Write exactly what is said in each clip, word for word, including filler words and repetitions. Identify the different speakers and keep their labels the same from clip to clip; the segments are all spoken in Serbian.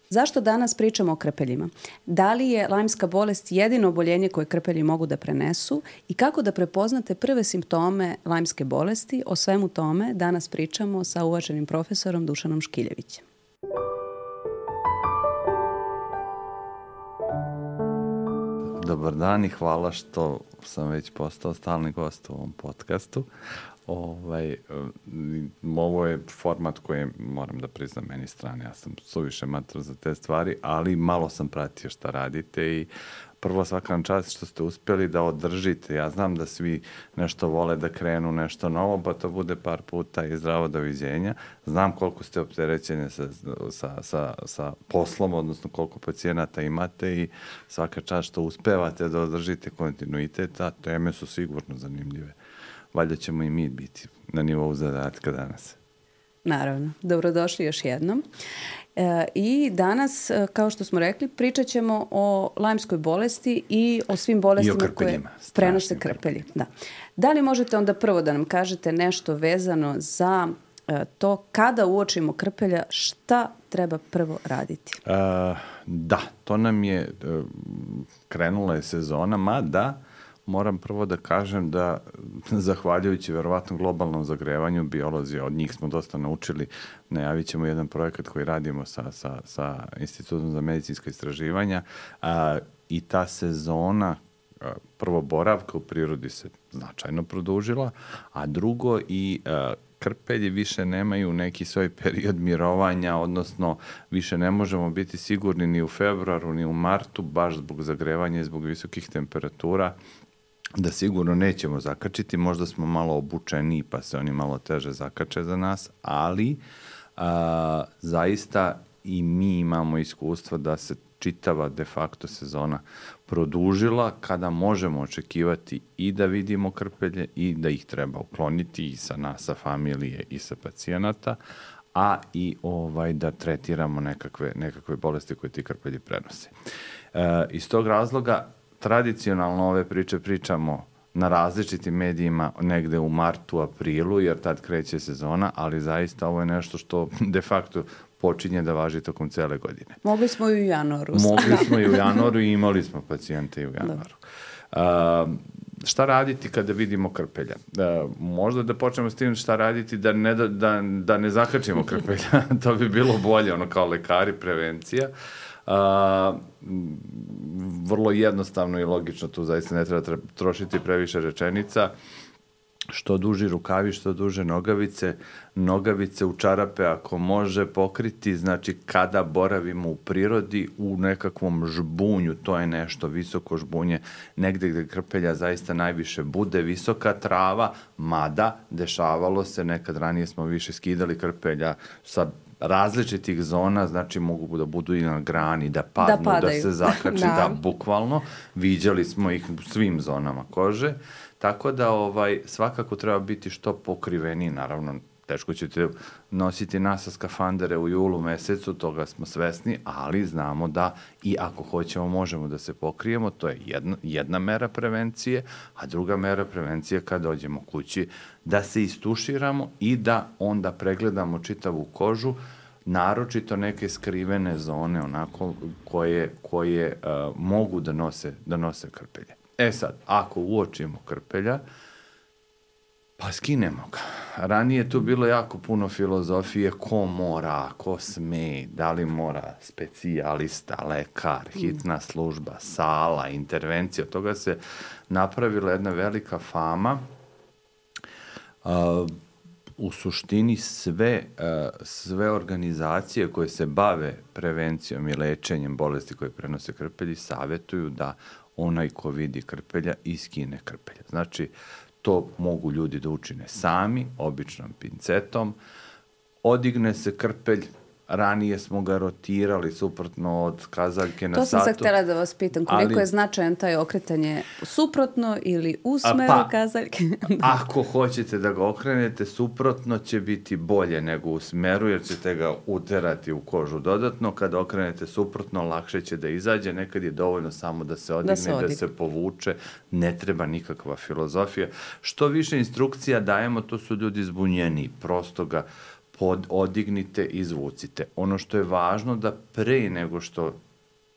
Speaker 1: Zašto danas pričamo o krpeljima? Da li je lajmska bolest jedino oboljenje koje krpelji mogu da prenesu i kako da prepoznate prve simptome lajmske bolesti? O svemu tome danas pričamo sa uvaženim profesorom Dušanom Škiljevićem.
Speaker 2: Dobar dan i hvala što sam već postao stalni gost u ovom podcastu. Ovaj, ovo je format koji moram da priznam meni strane. Ja sam suviše mator za te stvari, ali malo sam pratio šta radite i prvo svaka vam čast što ste uspjeli da održite. Ja znam da svi nešto vole da krenu nešto novo, pa to bude par puta i zdravo doviđenja. Znam koliko ste opterećeni sa, sa, sa, sa poslom, odnosno koliko pacijenata imate i svaka čast što uspevate da održite kontinuitet, a teme su sigurno zanimljive. Valjda ćemo i mi biti na nivou zadatka danas.
Speaker 1: Naravno. Dobrodošli još jednom. E, I danas, kao što smo rekli, pričat ćemo o lajmskoj bolesti i o svim bolestima koje prenose krpelji. Da. Da li možete onda prvo da nam kažete nešto vezano za e, to kada uočimo krpelja, šta treba prvo raditi?
Speaker 2: E, da, to nam je, krenula je sezona, mada moram prvo da kažem da, zahvaljujući verovatno globalnom zagrevanju, biolozi, od njih smo dosta naučili, najavit ćemo jedan projekat koji radimo sa, sa, sa Institutom za medicinska istraživanja a, i ta sezona, a, prvo boravka u prirodi se značajno produžila, a drugo i a, krpelji više nemaju neki svoj period mirovanja, odnosno više ne možemo biti sigurni ni u februaru, ni u martu, baš zbog zagrevanja i zbog visokih temperatura, da sigurno nećemo zakačiti, možda smo malo obučeni pa se oni malo teže zakače za nas, ali a, zaista i mi imamo iskustva da se čitava de facto sezona produžila kada možemo očekivati i da vidimo krpelje i da ih treba ukloniti i sa nas, sa familije i sa pacijenata, a i ovaj, da tretiramo nekakve, nekakve bolesti koje ti krpelji prenose. E, iz tog razloga tradicionalno ove priče pričamo na različitim medijima negde u martu, aprilu, jer tad kreće sezona, ali zaista ovo je nešto što de facto počinje da važi tokom cele godine.
Speaker 1: Mogli smo i u januaru.
Speaker 2: Mogli smo i u januaru i imali smo pacijente i u januaru. Uh, šta raditi kada vidimo krpelja? Uh, možda da počnemo s tim šta raditi da ne, da, da, da ne zakačimo krpelja. To bi bilo bolje, ono kao lekari, prevencija. Uh, vrlo jednostavno i logično, tu zaista ne treba, treba trošiti previše rečenica. Što duži rukavi, što duže nogavice, nogavice u čarape ako može pokriti, znači kada boravimo u prirodi u nekakvom žbunju, to je nešto visoko žbunje, negde gde krpelja zaista najviše bude, visoka trava, mada dešavalo se, nekad ranije smo više skidali krpelja sa različitih zona, znači mogu da budu i na grani, da padnu, da, da se zakači, da. da, bukvalno, viđali smo ih u svim zonama kože, tako da ovaj, svakako treba biti što pokriveniji, naravno, teško ćete nositi nasa skafandere u julu mesecu, toga smo svesni, ali znamo da i ako hoćemo možemo da se pokrijemo, to je jedna, jedna mera prevencije, a druga mera prevencije kad dođemo kući da se istuširamo i da onda pregledamo čitavu kožu, naročito neke skrivene zone onako koje, koje uh, mogu da nose, da nose krpelje. E sad, ako uočimo krpelja, pa skinemo ga. Ranije je tu bilo jako puno filozofije, ko mora, ko sme, da li mora specijalista, lekar, hitna služba, sala, intervencija. Od toga se napravila jedna velika fama. Uh, u suštini sve, uh, sve organizacije koje se bave prevencijom i lečenjem bolesti koje prenose krpelji savjetuju da onaj ko vidi krpelja iskine krpelja. Znači, to mogu ljudi da učine sami, običnom pincetom. Odigne se krpelj, ranije smo ga rotirali suprotno od kazaljke na satu.
Speaker 1: To sam sad htjela da vas pitam, koliko ali, je značajan taj okretanje suprotno ili u smeru pa, kazaljke?
Speaker 2: Ako hoćete da ga okrenete, suprotno će biti bolje nego u smeru, jer ćete ga uterati u kožu dodatno. Kada okrenete suprotno, lakše će da izađe. Nekad je dovoljno samo da se odigne, da se, odigne. Da se povuče. Ne treba nikakva filozofija. Što više instrukcija dajemo, to su ljudi zbunjeni. Prosto ga pod, odignite i izvucite. Ono što je važno da pre nego što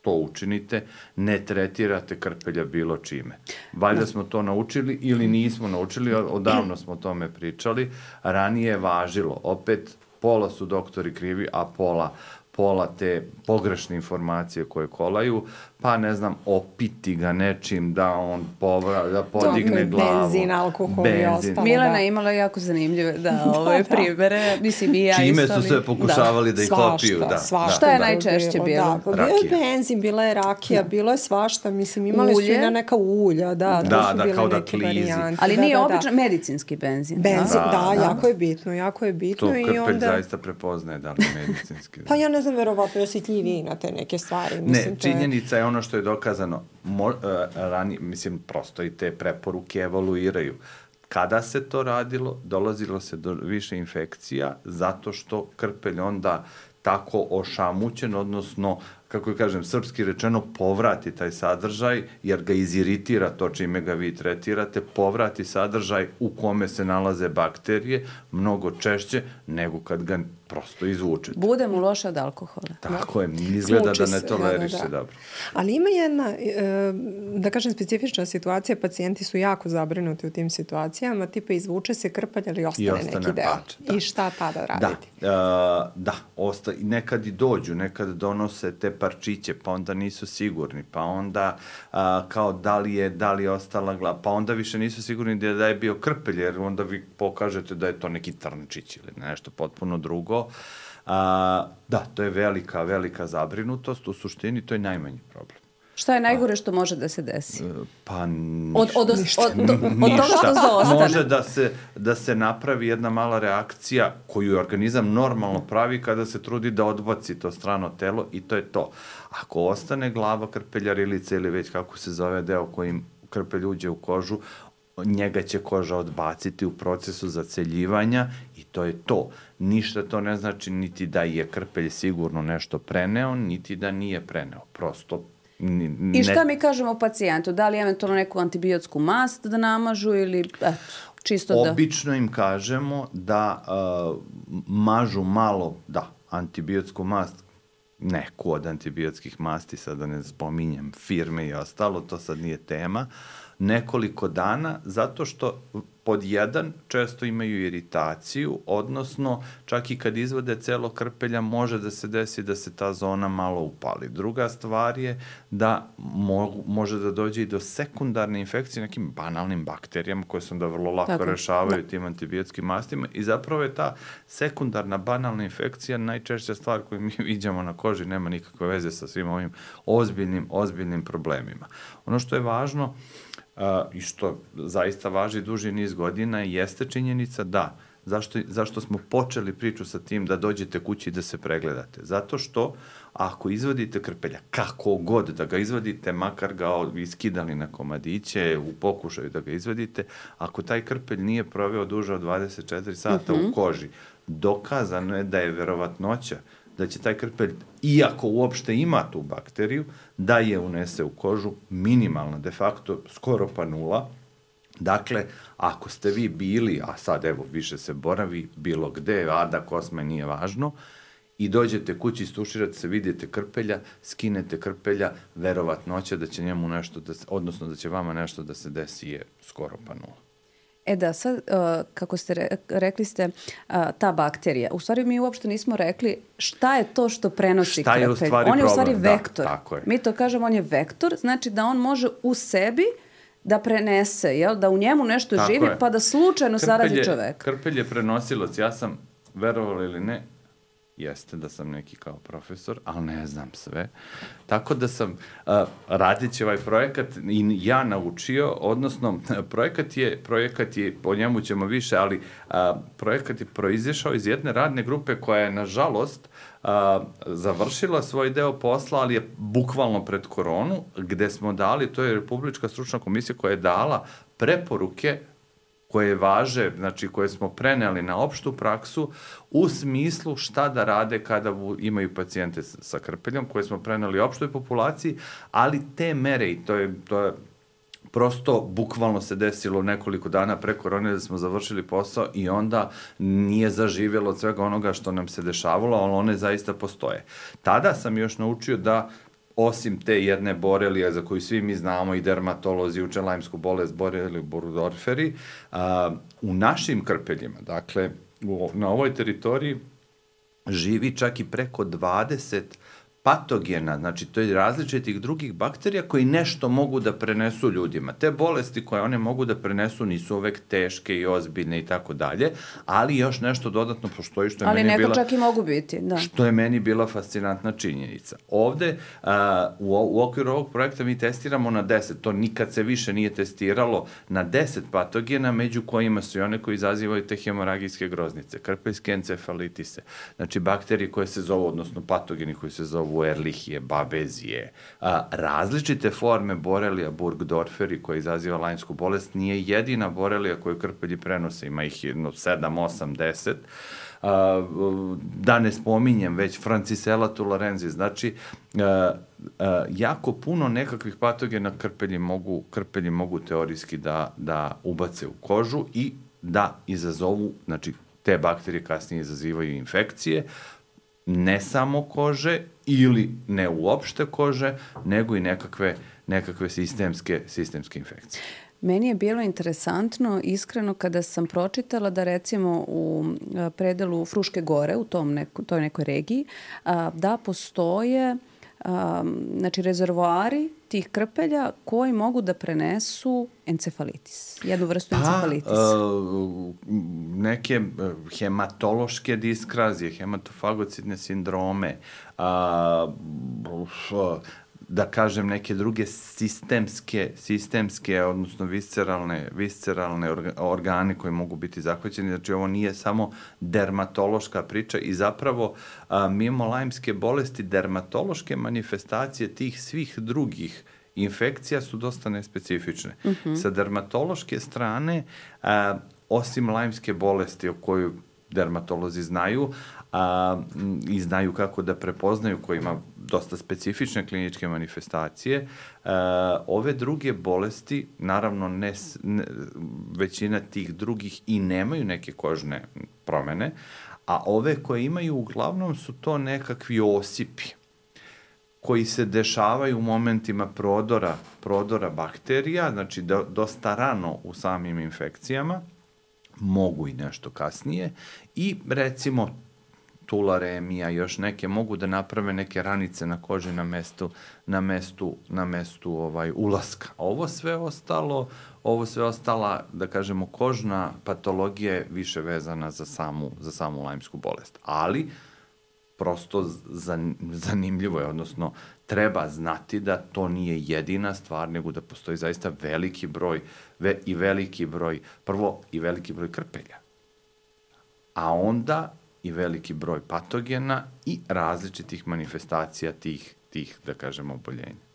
Speaker 2: to učinite, ne tretirate krpelja bilo čime. Valjda smo to naučili ili nismo naučili, odavno smo o tome pričali. Ranije je važilo, opet pola su doktori krivi, a pola pola te pogrešne informacije koje kolaju, pa ne znam, opiti ga nečim da on povra, da podigne
Speaker 3: to,
Speaker 2: glavu.
Speaker 3: Benzin, alkohol i ostalo.
Speaker 1: Milena
Speaker 3: da.
Speaker 1: je imala jako zanimljive da, ove primere. Mislim, i ja
Speaker 2: čime
Speaker 1: isto,
Speaker 2: su sve pokušavali da, da ih opiju. Da,
Speaker 3: svašta.
Speaker 1: Šta je najčešće bilo?
Speaker 3: Da, bio je benzin, bila je rakija, da. bilo je svašta. Mislim, imali
Speaker 1: Ulje.
Speaker 3: su i na neka ulja. Da,
Speaker 2: da,
Speaker 3: to su
Speaker 2: da,
Speaker 3: bile
Speaker 2: kao da
Speaker 3: neke
Speaker 2: klizi.
Speaker 3: varijante.
Speaker 1: Ali
Speaker 3: da,
Speaker 1: nije
Speaker 3: da,
Speaker 1: obično
Speaker 3: da.
Speaker 1: medicinski benzin.
Speaker 3: Benzin,
Speaker 1: da,
Speaker 3: da,
Speaker 1: da,
Speaker 3: jako je bitno, jako je bitno.
Speaker 2: To krpelj
Speaker 3: i onda...
Speaker 2: zaista prepoznaje da li je medicinski.
Speaker 3: Pa ja ne znam, verovatno je osjetljiviji na te neke stvari. Mislim,
Speaker 2: ne, činjenica je ono što je dokazano. Mo, uh, rani, mislim, prosto i te preporuke evoluiraju. Kada se to radilo, dolazilo se do više infekcija zato što krpelj onda tako ošamućen, odnosno, kako kažem, srpski rečeno, povrati taj sadržaj, jer ga iziritira to čime ga vi tretirate, povrati sadržaj u kome se nalaze bakterije mnogo češće nego kad ga prosto izvučete.
Speaker 1: Bude mu loše od alkohola.
Speaker 2: Tako je, izgleda
Speaker 3: Smuči
Speaker 2: da ne
Speaker 3: se,
Speaker 2: toleriš
Speaker 3: da, da,
Speaker 2: se
Speaker 3: da.
Speaker 2: dobro.
Speaker 3: Ali ima jedna, da kažem, specifična situacija, pacijenti su jako zabrinuti u tim situacijama, tipa izvuče se krpalj, ali ostane,
Speaker 2: I ostane
Speaker 3: neki deo.
Speaker 2: pač, da.
Speaker 3: I šta tada raditi?
Speaker 2: Da, uh, da osta, nekad i dođu, nekad donose te parčiće, pa onda nisu sigurni, pa onda uh, kao da li je, da li je ostala glava, pa onda više nisu sigurni da je, da je bio krpelj, jer onda vi pokažete da je to neki trnčić ili nešto potpuno drugo. A, da, to je velika, velika zabrinutost. U suštini to je najmanji problem.
Speaker 1: Šta je najgore što može da se desi?
Speaker 2: Pa ništa.
Speaker 1: Od, od, od, od, od, od toga što zaostane.
Speaker 2: Može da se, da se napravi jedna mala reakcija koju organizam normalno pravi kada se trudi da odbaci to strano telo i to je to. Ako ostane glava, krpeljarilica ili već kako se zove deo kojim krpelj uđe u kožu, njega će koža odbaciti u procesu zaceljivanja i to je to. Ništa to ne znači niti da je krpelj sigurno nešto preneo, niti da nije preneo. Prosto ne...
Speaker 1: I šta mi kažemo pacijentu? Da li eventualno neku antibiotsku mast da namažu ili eto, čisto da...
Speaker 2: Obično im kažemo da uh, mažu malo, da, antibiotsku mast, neku od antibiotskih masti, sad da ne spominjem firme i ostalo, to sad nije tema, nekoliko dana, zato što pod jedan često imaju iritaciju, odnosno čak i kad izvode celo krpelja može da se desi da se ta zona malo upali. Druga stvar je da mo može da dođe i do sekundarne infekcije nekim banalnim bakterijama koje se onda vrlo lako Tako. rešavaju tim antibiotskim mastima i zapravo je ta sekundarna banalna infekcija najčešća stvar koju mi viđamo na koži, nema nikakve veze sa svim ovim ozbiljnim, ozbiljnim problemima. Ono što je važno Uh, i što zaista važi duži niz godina jeste činjenica da, zašto, zašto smo počeli priču sa tim da dođete kući i da se pregledate? Zato što ako izvadite krpelja, kako god da ga izvadite, makar ga iskidali na komadiće, u pokušaju da ga izvadite, ako taj krpelj nije proveo duže od dvadeset četiri sata mm-hmm. u koži, dokazano je da je verovatnoća da će taj krpelj, iako uopšte ima tu bakteriju, da je unese u kožu minimalna, de facto skoro pa nula. Dakle, ako ste vi bili, a sad evo više se boravi bilo gde, ada, kosme, nije važno, i dođete kući, istuširate se, vidite krpelja, skinete krpelja, verovatnoća da će njemu nešto, da se, odnosno da će vama nešto da se desi je skoro pa nula.
Speaker 1: E da, sad, uh, kako ste re, rekli ste, uh, ta bakterija, u stvari mi uopšte nismo rekli šta je to što prenosi
Speaker 2: šta
Speaker 1: krpelj.
Speaker 2: Je u stvari
Speaker 1: on je
Speaker 2: problem?
Speaker 1: u stvari vektor.
Speaker 2: Da, tako je.
Speaker 1: Mi to kažemo, on je vektor, znači da on može u sebi da prenese, jel? Da u njemu nešto tako živi, je. Pa da slučajno krpelj zarazi
Speaker 2: je,
Speaker 1: čoveka.
Speaker 2: Krpelj je prenosilac. Ja sam, verovali ili ne, jeste da sam neki kao profesor, ali ne znam sve. Tako da sam, uh, radići ovaj projekat, i ja naučio, odnosno, projekat je, projekat je, o njemu ćemo više, ali uh, projekat je proizišao iz jedne radne grupe koja je, nažalost, uh, završila svoj deo posla, ali je bukvalno pred koronu, gde smo dali, to je Republička stručna komisija koja je dala preporuke koje važe, znači koje smo preneli na opštu praksu u smislu šta da rade kada imaju pacijente sa krpeljom, koje smo preneli opštoj populaciji, ali te mere, i to je, to je prosto bukvalno se desilo nekoliko dana pre korone da smo završili posao i onda nije zaživjelo od svega onoga što nam se dešavalo, ali one zaista postoje. Tada sam još naučio da osim te jedne borelije za koju svi mi znamo i dermatolozi uče lajmsku bolest boreliju burgdorferi, a, u našim krpeljima, dakle u, na ovoj teritoriji živi čak i preko dvadeset patogena, znači to je različitih drugih bakterija koji nešto mogu da prenesu ljudima. Te bolesti koje one mogu da prenesu nisu uvek teške i ozbiljne i tako dalje, ali još nešto dodatno postoji što je
Speaker 1: ali
Speaker 2: meni bila...
Speaker 1: Ali neko čak i mogu biti, da.
Speaker 2: Što je meni bila fascinantna činjenica. Ovde, a, u, u okviru ovog projekta mi testiramo na deset, to nikad se više nije testiralo, na deset patogena, među kojima su i one koji izazivaju te hemoragijske groznice, krpeljske encefalitise, znači bakterije koje se zovu, odnosno patogeni koji se zovu Ehrlichije, Babezije, a, različite forme borelija burgdorferi koja izaziva lajmsku bolest, nije jedina borelija koju krpelji prenose, ima ih jedno sedam, osam, deset, a, da ne spominjem već Francisella tularensis, znači a, a, jako puno nekakvih patogena krpelji mogu, krpelji mogu teorijski da, da ubace u kožu i da izazovu, znači te bakterije kasnije izazivaju infekcije, ne samo kože ili ne uopšte kože, nego i nekakve, nekakve sistemske, sistemske infekcije.
Speaker 1: Meni je bilo interesantno, iskreno, kada sam pročitala da recimo u predelu Fruške gore, u tom neko, toj nekoj regiji, da postoje znači rezervoari tih krpelja koji mogu da prenesu encefalitis, jednu vrstu pa, encefalitisa.
Speaker 2: Uh, neke hematološke diskrazije, hematofagocidne sindrome, uh, uh, da kažem neke druge sistemske, sistemske odnosno visceralne, visceralne organe koje mogu biti zahvaćeni. Znači ovo nije samo dermatološka priča i zapravo a, mimo lajmske bolesti dermatološke manifestacije tih svih drugih infekcija su dosta nespecifične. Uh-huh. Sa dermatološke strane, a, osim lajmske bolesti o kojoj dermatolozi znaju, a, i znaju kako da prepoznaju, koji ima dosta specifične kliničke manifestacije, a, ove druge bolesti, naravno ne, ne, većina tih drugih i nemaju neke kožne promene, a ove koje imaju uglavnom su to nekakvi osipi koji se dešavaju u momentima prodora, prodora bakterija, znači do, dosta rano u samim infekcijama, mogu i nešto kasnije i recimo tularemija, još neke mogu da naprave neke ranice na koži na mestu na mestu na mestu ovaj ulaska. Ovo sve ostalo, ovo sve ostala, da kažemo, kožna patologija je više vezana za samu za samu lajmsku bolest. Ali prosto zanimljivo je, odnosno treba znati da to nije jedina stvar, nego da postoji zaista veliki broj ve, i veliki broj, prvo i veliki broj krpelja, a onda i veliki broj patogena i različitih manifestacija tih, tih da kažemo, oboljenja.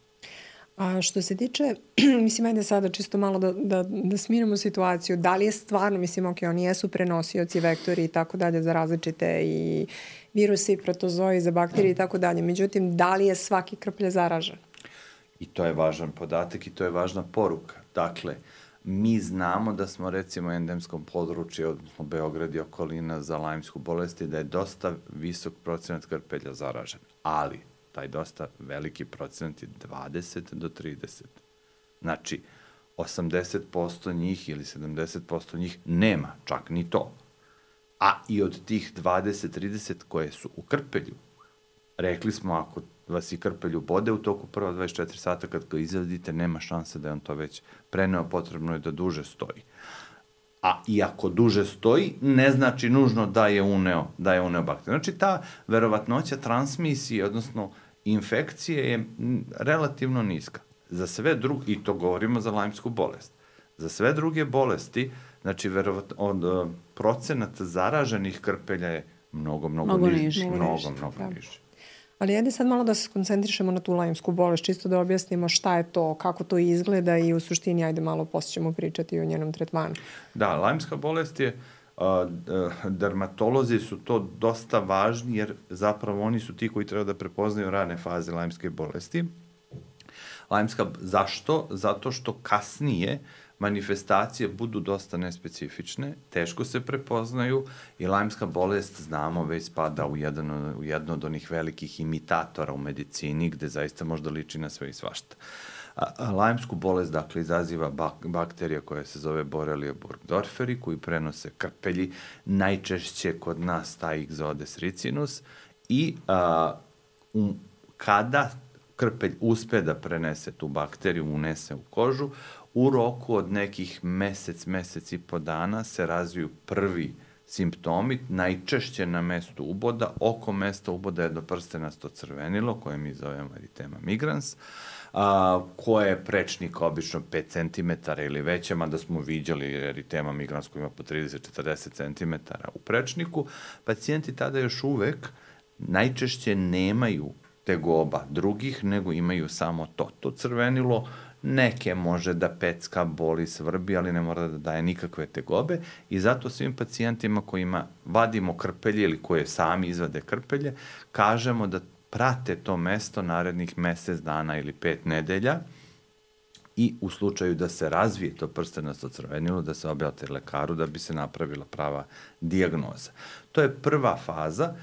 Speaker 3: A što se tiče, mislim, ajde sada čisto malo da, da, da smirimo situaciju, da li je stvarno, mislim, ok, oni jesu prenosioci, vektori i tako dalje za različite i viruse i protozoji, za bakterije i tako dalje, međutim, da li je svaki krplje zaražen?
Speaker 2: I to je važan podatak i to je važna poruka. Dakle, mi znamo da smo recimo u endemskom području, odnosno Beograd i okolina za lajmsku bolest, da je dosta visok procenat krpelja zaražen, ali taj dosta veliki procenat je dvadeset do trideset. Znači, osamdeset posto njih ili sedamdeset posto njih nema čak ni to. A i od tih dvadeset do trideset koje su u krpelju, rekli smo, ako vas i krpelju bode u toku prva dvadeset četiri sata, kad ga izvadite, nema šanse da je on to već preneo, potrebno je da duže stoji. A i ako duže stoji, ne znači nužno da je uneo, da je uneo bakteriju. Znači, ta verovatnoća transmisije, odnosno infekcije, je relativno niska. Za sve druge, i to govorimo za lajmsku bolest, za sve druge bolesti, znači, verovatno, od procenat zaraženih krpelja je mnogo, mnogo, mnogo niži. niži. Mnogo, mnogo da. niži.
Speaker 3: Ali ajde sad malo da se koncentrišemo na tu lajmsku bolest, čisto da objasnimo šta je to, kako to izgleda i u suštini, ajde malo poslije ćemo pričati o njenom tretmanu.
Speaker 2: Da, lajmska bolest je, a, a, dermatolozi su to dosta važni, jer zapravo oni su ti koji treba da prepoznaju rane faze lajmske bolesti. Lajmska, zašto? Zato što kasnije manifestacije budu dosta nespecifične, teško se prepoznaju i lajmska bolest, znamo, već spada u, jedan, u jedno od onih velikih imitatora u medicini, gde zaista možda liči na sve i svašta. A, lajmsku bolest, dakle, izaziva bak, bakterija koja se zove Borrelia burgdorferi, koji prenose krpelji, najčešće kod nas taj Ixodes ricinus, i a, um, kada krpelj uspe da prenese tu bakteriju, unese u kožu, u roku od nekih mesec, mesec i po dana se razviju prvi simptomi, najčešće na mestu uboda, oko mesta uboda je jednoprstenasto crvenilo, koje mi zovemo eritema migrans, a, koje je prečnik obično pet centimetara ili veće, mada smo viđali eritema migrans koji ima po trideset do četrdeset centimetara u prečniku. Pacijenti tada još uvek najčešće nemaju tegoba drugih, nego imaju samo to, to crvenilo. Neke može da pecka, boli, svrbi, ali ne mora da daje nikakve tegobe i zato svim pacijentima kojima vadimo krpelje ili koje sami izvade krpelje, kažemo da prate to mesto narednih mesec dana ili pet nedelja i u slučaju da se razvije to prstenasto crvenilo, da se objavite lekaru da bi se napravila prava dijagnoza. To je prva faza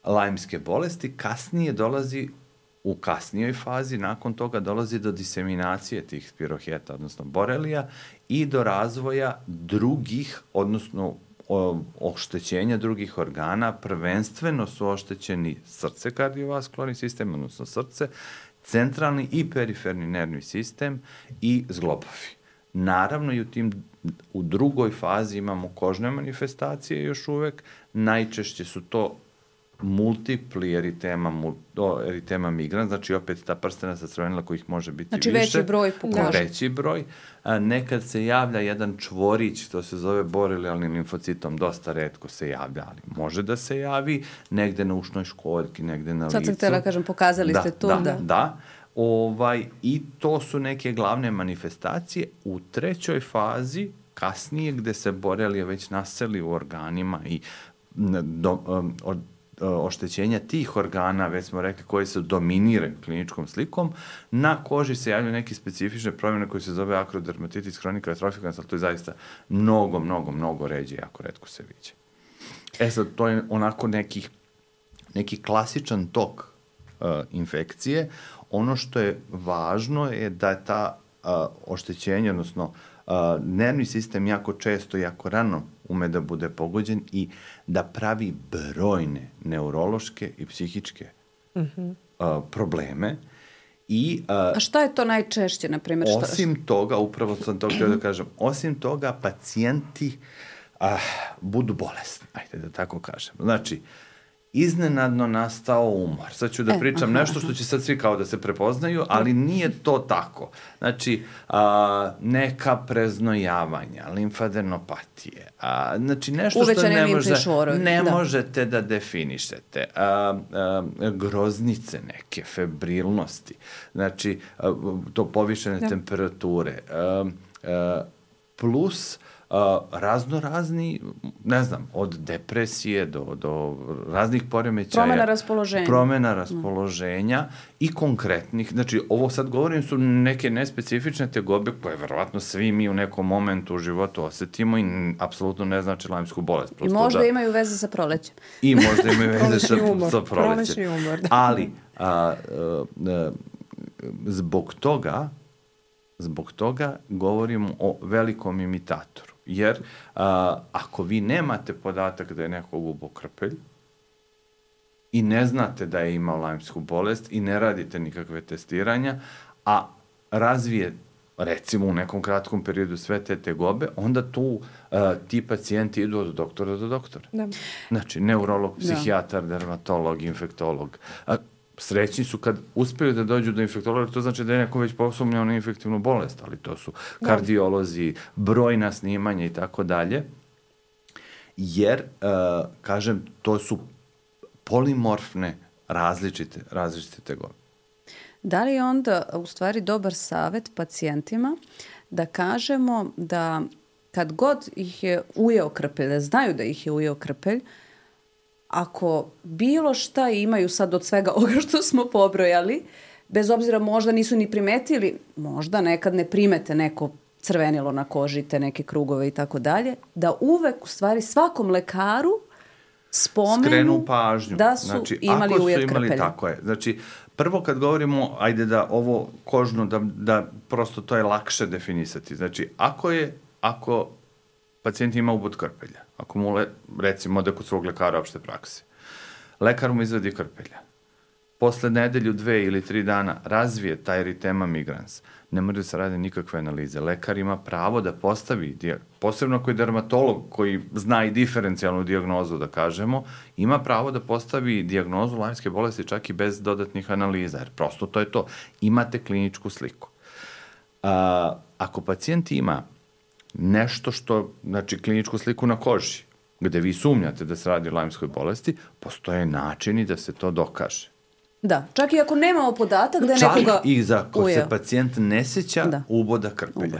Speaker 2: lajmske bolesti, kasnije dolazi u kasnijoj fazi, nakon toga dolazi do diseminacije tih spiroheta, odnosno borelija, i do razvoja drugih, odnosno o, oštećenja drugih organa, prvenstveno su oštećeni srce, kardiovaskularni sistem, odnosno srce, centralni i periferni nervni sistem i zglobovi. Naravno, i u tim u drugoj fazi imamo kožne manifestacije još uvek, najčešće su to multipli eritema, multo, eritema migrans, znači opet ta prstenasta crvenila kojih može biti
Speaker 1: znači,
Speaker 2: više.
Speaker 1: Znači veći broj po koži.
Speaker 2: Veći broj. A, nekad se javlja jedan čvorić, to se zove borelijalnim limfocitom, dosta retko se javlja, ali može da se javi negde na ušnoj školjki, negde na licu.
Speaker 1: Sad sam htjela kažem, pokazali
Speaker 2: da,
Speaker 1: ste to.
Speaker 2: Da,
Speaker 1: da.
Speaker 2: da. Ovaj, i to su neke glavne manifestacije. U trećoj fazi, kasnije, gde se borelija već naseli u organima i do, um, od oštećenja tih organa, već smo rekli, koji se dominiraju kliničkom slikom, na koži se javljaju neke specifične promjene koje se zove akrodermatitis hronika atrofikans, ali to je zaista mnogo, mnogo, mnogo ređe, jako retko se viđe. E sad, to je onako nekih, neki klasičan tok uh, infekcije. Ono što je važno je da je ta uh, oštećenje, odnosno uh, nervni sistem jako često, jako rano ume da bude pogođen i da pravi brojne neurološke i psihičke uh-huh. uh, probleme. I, uh,
Speaker 1: A šta je to najčešće, na primjer? Šta...
Speaker 2: Osim toga, upravo sam to htio da kažem, osim toga pacijenti uh, budu bolesni, ajde da tako kažem. Znači, iznenadno nastao umor. Sad ću da pričam e, aha, nešto što će sad svi kao da se prepoznaju, ali nije to tako. Znači, a, neka preznojavanja, limfadenopatije, a, znači nešto
Speaker 1: uvećane
Speaker 2: što ne, može,
Speaker 1: švorovi,
Speaker 2: ne
Speaker 1: da.
Speaker 2: možete da definišete. A, a, groznice neke, febrilnosti, znači a, to povišene da. temperature, a, a, plus Uh, razno razni, ne znam, od depresije do, do raznih poremećaja.
Speaker 1: Promena raspoloženja.
Speaker 2: Promena raspoloženja mm. i konkretnih, znači ovo sad govorim su neke nespecifične tegobe koje verovatno svi mi u nekom momentu u životu osetimo i apsolutno ne znači lajmsku bolest.
Speaker 1: I možda da, imaju veze sa prolećem.
Speaker 2: I možda imaju veze sa, sa prolećem.
Speaker 3: Umor, da.
Speaker 2: Ali, a, a, a, zbog toga, zbog toga govorimo o velikom imitatoru. Jer a, ako vi nemate podatak da je neko gubao krpelj i ne znate da je imao lajmsku bolest i ne radite nikakve testiranja, a razvije recimo u nekom kratkom periodu sve te tegobe, onda tu a, ti pacijenti idu od doktora do doktora. Da. Znači, neurolog, psihijatar, da. dermatolog, infektolog. A, srećni su kad uspeju da dođu do infektologa, to znači da je neko već posumnjao na infektivnu bolest, ali to su kardiolozi, brojna snimanja i tako dalje. Jer, uh, kažem, to su polimorfne različite, različite tegobe.
Speaker 1: Da li je onda u stvari dobar savjet pacijentima da kažemo da kad god ih je ujeo krpelj, da znaju da ih je ujeo krpelj, ako bilo šta imaju sad od svega ovoga što smo pobrojali, bez obzira možda nisu ni primetili, možda nekad ne primete neko crvenilo na koži, te neke krugove i tako dalje, da uvek u stvari svakom lekaru spomenu
Speaker 2: skrenu pažnju.
Speaker 1: Da su
Speaker 2: znači,
Speaker 1: imali
Speaker 2: ako
Speaker 1: ujed
Speaker 2: su imali,
Speaker 1: krpelja.
Speaker 2: tako je. Znači, prvo kad govorimo, ajde da ovo kožno, da, da prosto to je lakše definisati. Znači, ako je, ako pacijent ima ubod krpelja, ako mu, le, recimo, da kod svog lekara opšte prakse, lekar mu izvadi krpelja, posle nedelju, dve ili tri dana razvije taj eritema migrans, ne mora da se rade nikakve analize. Lekar ima pravo da postavi, posebno ako je dermatolog koji zna i diferencijalnu dijagnozu, da kažemo, ima pravo da postavi dijagnozu Lajmske bolesti čak i bez dodatnih analiza, jer prosto to je to. Imate kliničku sliku. A, ako pacijent ima nešto što, znači kliničku sliku na koži, gde vi sumnjate da se radi o Lajmskoj bolesti, postoje načini da se to dokaže.
Speaker 1: Da, čak i ako nemamo podatak da je
Speaker 2: čak
Speaker 1: nekoga
Speaker 2: Čak i za ko
Speaker 1: ujeo.
Speaker 2: se pacijent ne seća da. uboda krpelja. Ubo.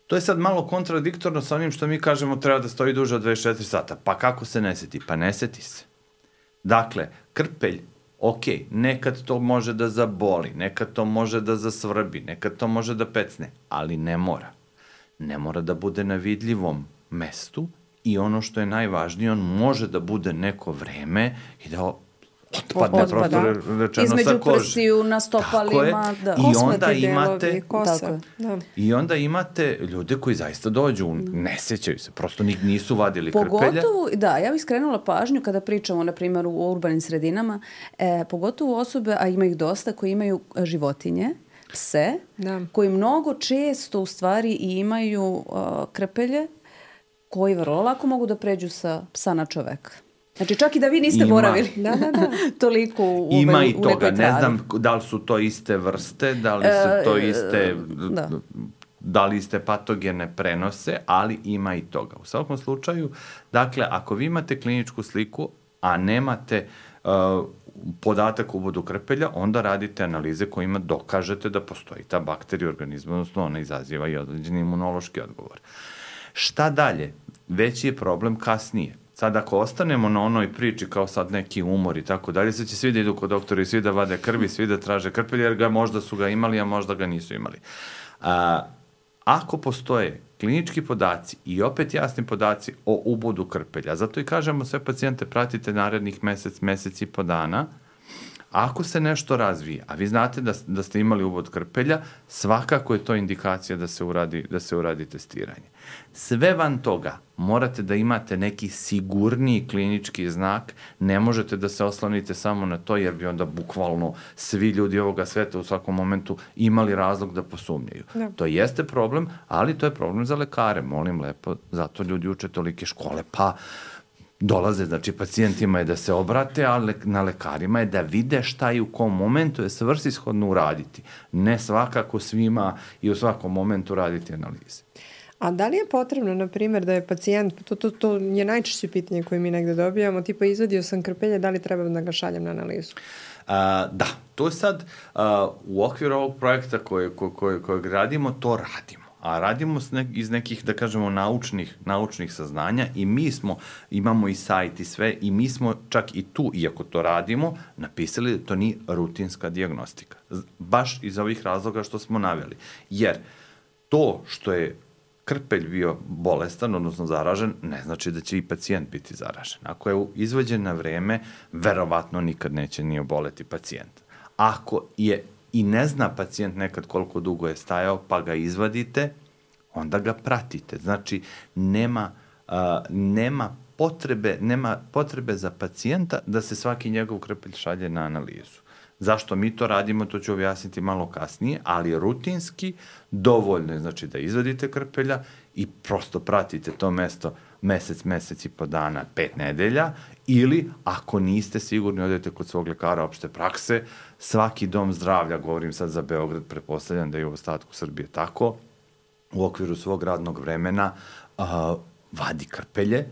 Speaker 2: To je sad malo kontradiktorno sa onim što mi kažemo treba da stoji duže od dvadeset četiri sata. Pa kako se ne seti? Pa ne seti se. Dakle, krpelj, ok, nekad to može da zaboli, nekad to može da zasvrbi, nekad to može da pecne, ali ne mora. Ne mora da bude na vidljivom mestu i ono što je najvažnije, on može da bude neko vreme i da otpadne, prosto rečeno,
Speaker 1: između
Speaker 2: sa kože.
Speaker 1: Prstiju, na stopalima. Da.
Speaker 2: I onda imate
Speaker 3: delovi, kosa. Da.
Speaker 2: I onda imate ljude koji zaista dođu, ne sećaju se, prosto nisu vadili krpelja.
Speaker 1: Pogotovo, da, ja bih skrenula pažnju kada pričamo, na primjer, u urbanim sredinama, e, pogotovo osobe, a ima ih dosta, koji imaju životinje, pse, da. koji mnogo često u stvari imaju uh, krpelje, koji vrlo lako mogu da pređu sa psa na čoveka. Znači, čak i da vi niste
Speaker 2: Ima.
Speaker 1: boravili
Speaker 3: da, da, da.
Speaker 1: toliko u,
Speaker 2: Ima
Speaker 1: u,
Speaker 2: i
Speaker 1: u
Speaker 2: toga,
Speaker 1: nekoj travi.
Speaker 2: ne znam da li su to iste vrste, da li su to iste,
Speaker 1: da.
Speaker 2: da li iste patogene prenose, ali ima i toga. U svakom slučaju, dakle, ako vi imate kliničku sliku, a nemate uh, podatak u ubodu krpelja, onda radite analize kojima dokažete da postoji ta bakterija u organizmu, odnosno ona izaziva i određeni imunološki odgovor. Šta dalje? Veći je problem kasnije. Sad ako ostanemo na onoj priči kao sad neki umor i tako dalje, sad će svi da idu kod doktora i svi da vade krvi, svi da traže krpelje, jer ga možda su ga imali, a možda ga nisu imali. A, ako postoje klinički podaci i opet jasni podaci o ubodu krpelja, zato i kažemo sve pacijente pratite narednih mesec, mesec i po dana, ako se nešto razvije, a vi znate da, da ste imali ubod krpelja, svakako je to indikacija da se uradi, da se uradi testiranje. Sve van toga morate da imate neki sigurniji klinički znak, ne možete da se oslonite samo na to, jer bi onda bukvalno svi ljudi ovoga sveta u svakom momentu imali razlog da posumnjaju. Da. To jeste problem, ali to je problem za lekare, molim lepo, zato ljudi uče tolike škole, pa dolaze, znači pacijentima je da se obrate, a le, na lekarima je da vide šta i u kom momentu je svrsishodno uraditi. Ne svakako svima i u svakom momentu raditi analize.
Speaker 3: A da li je potrebno, na primjer, da je pacijent, to, to, to je najčešće pitanje koje mi negde dobijamo, tipa izvadio sam krpelje, da li treba da ga šaljem na analizu?
Speaker 2: A, da, to je sad a, u okviru ovog projekta koje, koje, koje, kojeg radimo, to radimo. A radimo ne, iz nekih, da kažemo, naučnih, naučnih saznanja i mi smo, imamo i sajt i sve, i mi smo čak i tu, iako to radimo, napisali da to nije rutinska dijagnostika. Baš iz ovih razloga što smo naveli. Jer to što je krpelj bio bolestan, odnosno zaražen, ne znači da će i pacijent biti zaražen. Ako je izvađen na vreme, verovatno nikad neće ni oboleti pacijent. Ako je i ne zna pacijent nekad koliko dugo je stajao, pa ga izvadite, onda ga pratite. Znači, nema, uh, nema, potrebe, nema potrebe za pacijenta da se svaki njegov krpelj šalje na analizu. Zašto mi to radimo, to ću objasniti malo kasnije, ali rutinski dovoljno je, znači, da izvadite krpelja i prosto pratite to mesto mesec, mesec i po dana, pet nedelja, ili ako niste sigurni, odete kod svog lekara opšte prakse, svaki dom zdravlja, govorim sad za Beograd, pretpostavljam da je u ostatku Srbije tako, u okviru svog radnog vremena uh, vadi krpelje.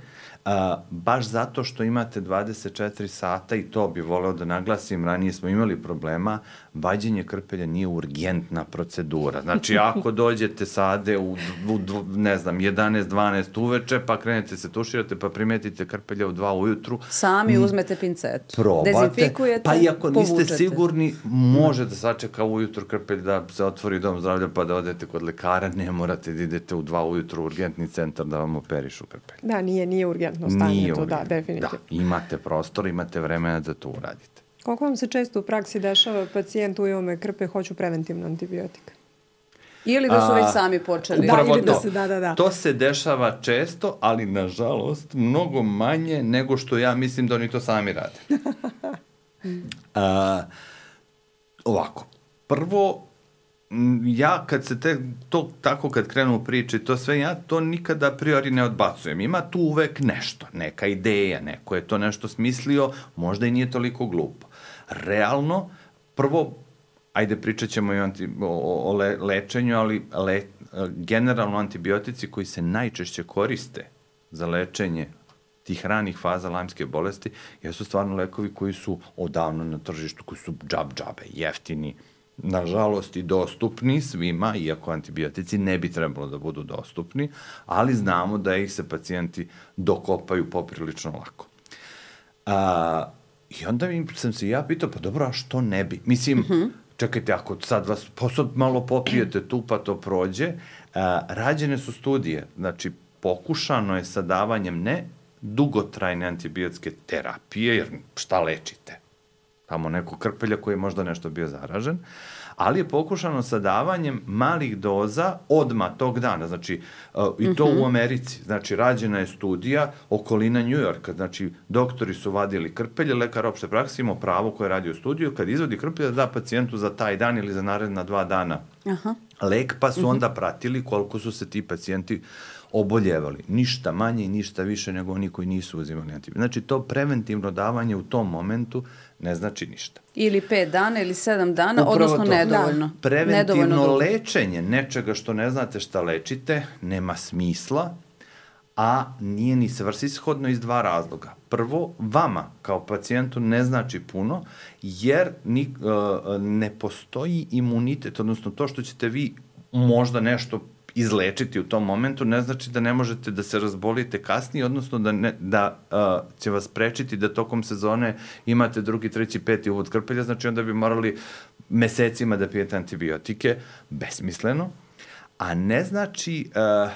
Speaker 2: A, baš zato što imate dvadeset četiri sata, i to bi voleo da naglasim, ranije smo imali problema, vađenje krpelja nije urgentna procedura. Znači, ako dođete sade u, u ne znam, jedanaest dvanaest uveče, pa krenete se tuširate, pa primetite krpelja u dva ujutru.
Speaker 1: Sami uzmete pincetu.
Speaker 2: Probate,
Speaker 1: dezinfikujete,
Speaker 2: pa i ako niste
Speaker 1: povučete.
Speaker 2: sigurni, može da sačeka ujutru krpelj da se otvori dom zdravlja, pa da odete kod lekara, ne morate da idete u dva ujutru u urgentni centar da vam operišu krpelj.
Speaker 3: Da, nije, nije urgentno stanje
Speaker 2: Nije
Speaker 3: to,
Speaker 2: urgentno.
Speaker 3: da, definitivno.
Speaker 2: Da, imate prostor, imate vremena da to uradite.
Speaker 3: Koliko vam se često u praksi dešava pacijent ujeo me krpe, hoću preventivno antibiotik?
Speaker 1: Ili da su već sami počeli.
Speaker 3: Da,
Speaker 2: Upravo
Speaker 3: ili da
Speaker 2: to.
Speaker 3: se, da, da, da.
Speaker 2: To se dešava često, ali nažalost mnogo manje nego što ja mislim da oni to sami rade. A, ovako, prvo, ja kad se te, to tako kad krenu u priči, to sve, ja to nikada a priori ne odbacujem. Ima tu uvek nešto, neka ideja, neko je to nešto smislio, možda i nije toliko glupo. Realno, prvo, ajde pričat ćemo i anti, o, o le, lečenju, ali le, generalno antibiotici koji se najčešće koriste za lečenje tih ranih faza lajmske bolesti jesu stvarno lekovi koji su odavno na tržištu, koji su džab džabe, jeftini, nažalost i dostupni svima, iako antibiotici ne bi trebalo da budu dostupni, ali znamo da ih se pacijenti dokopaju poprilično lako. A, I onda mi sam se ja pitao, pa dobro, a što ne bi? Mislim, uh -huh. čekajte, ako sad vas posad malo popijete tu pa to prođe, a, rađene su studije, znači pokušano je sa davanjem ne dugotrajne antibiotske terapije, jer šta lečite? Tamo neko krpelja koji je možda nešto bio zaražen, ali je pokušano sa davanjem malih doza odmah tog dana, znači uh, i to uh-huh. u Americi, znači rađena je studija okolina Njujorka, znači doktori su vadili krpelje, lekar opšte prakse imao pravo koje radi u studiju, kad izvodi krpelje da da pacijentu za taj dan ili za naredna dva dana uh-huh. lek, pa su uh-huh. onda pratili koliko su se ti pacijenti oboljevali. Ništa manje i ništa više nego oni koji nisu uzimali antibiotik. Znači, to preventivno davanje u tom momentu ne znači ništa.
Speaker 1: Ili pet dana ili sedam dana,
Speaker 2: Upravo
Speaker 1: odnosno
Speaker 2: to.
Speaker 1: nedovoljno.
Speaker 2: Da. Preventivno
Speaker 1: nedovoljno
Speaker 2: lečenje nečega što ne znate šta lečite nema smisla, a nije ni svrsishodno iz dva razloga. Prvo, vama kao pacijentu ne znači puno, jer ni, uh, ne postoji imunitet, odnosno to što ćete vi možda nešto izlečiti u tom momentu, ne znači da ne možete da se razbolite kasnije, odnosno da, ne, da uh, će vas sprečiti da tokom sezone imate drugi, treći, peti uvod krpelja, znači onda bi morali mesecima da pijete antibiotike, besmisleno, a ne znači, uh,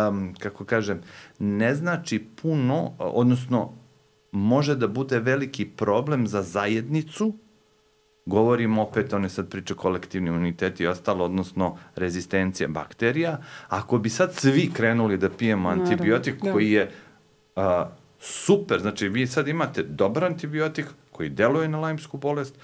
Speaker 2: um, kako kažem, ne znači puno, odnosno može da bude veliki problem za zajednicu. Govorim opet, one sad priče kolektivni imunitet i ostalo, odnosno rezistencija bakterija. Ako bi sad svi krenuli da pijemo antibiotik Naravno, koji je a, super, znači vi sad imate dobar antibiotik koji deluje na lajmsku bolest,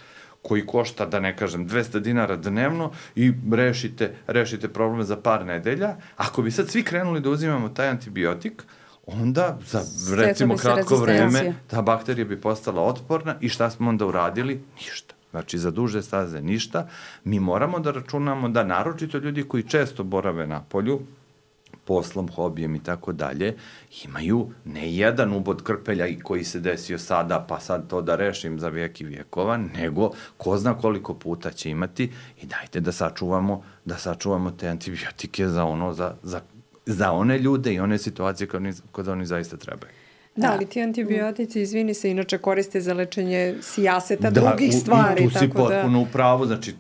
Speaker 2: koji košta, da ne kažem, dvesta dinara dnevno i rešite, rešite probleme za par nedelja. Ako bi sad svi krenuli da uzimamo taj antibiotik, onda za recimo kratko vreme ta bakterija bi postala otporna i šta smo onda uradili? Ništa. Znači, za duže staze ništa. Mi moramo da računamo da naročito ljudi koji često borave na polju, poslom, hobijem i tako dalje, imaju ne jedan ubod krpelja i koji se desio sada, pa sad to da rešim za vijek i vijekova, nego ko zna koliko puta će imati i dajte da sačuvamo, da sačuvamo te antibiotike za ono, za, za, za one ljude i one situacije kada oni, kada oni zaista trebaju.
Speaker 3: Da, ali ti antibiotici, izvini se, inače koriste za lečenje sijaseta, da, drugih stvari.
Speaker 2: Da, tu si potpuno da... u pravu, znači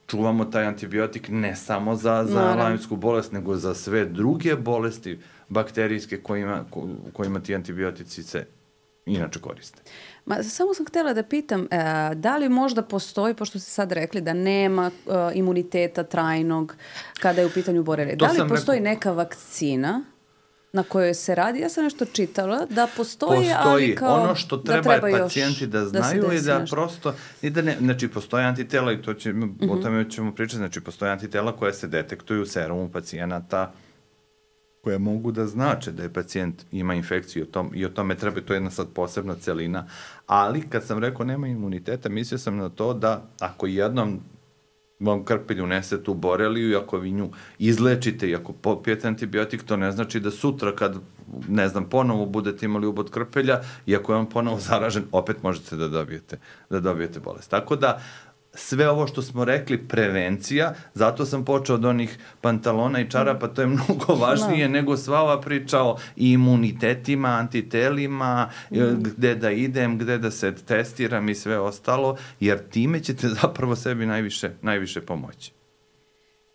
Speaker 2: čuvamo taj antibiotik ne samo za, za lajmsku bolest, nego za sve druge bolesti bakterijske kojima, kojima ti antibiotici se inače koriste.
Speaker 1: Ma, samo sam htjela da pitam, e, da li možda postoji, pošto ste sad rekli da nema e, imuniteta trajnog kada je u pitanju borelija, da li postoji rekao... neka vakcina na kojoj se radi? Ja sam nešto čitala da postoji,
Speaker 2: postoji.
Speaker 1: ali kao
Speaker 2: ono što treba, da treba pacijenti da znaju da i da nešto. Prosto, i da ne, znači postoje antitela i to će, mm-hmm. o tome ćemo pričati, znači postoje antitela koja se detektuju u serumu pacijenata koja mogu da znače da je pacijent ima infekciju o tom, i o tome treba, to je jedna sad posebna celina, ali kad sam rekao nema imuniteta, mislio sam na to da ako jednom vam krpelj unese tu boreliju i ako vi nju izlečite i ako popijete antibiotik, to ne znači da sutra kad, ne znam, ponovo budete imali ubod krpelja i ako je on ponovo zaražen, opet možete da dobijete, da dobijete bolest. Tako da, sve ovo što smo rekli, prevencija, zato sam počeo od onih pantalona i čarapa, to je mnogo važnije no. nego sva ova priča o imunitetima, antitelima, mm. gde da idem, gde da se testiram i sve ostalo, jer time ćete zapravo sebi najviše, najviše pomoći.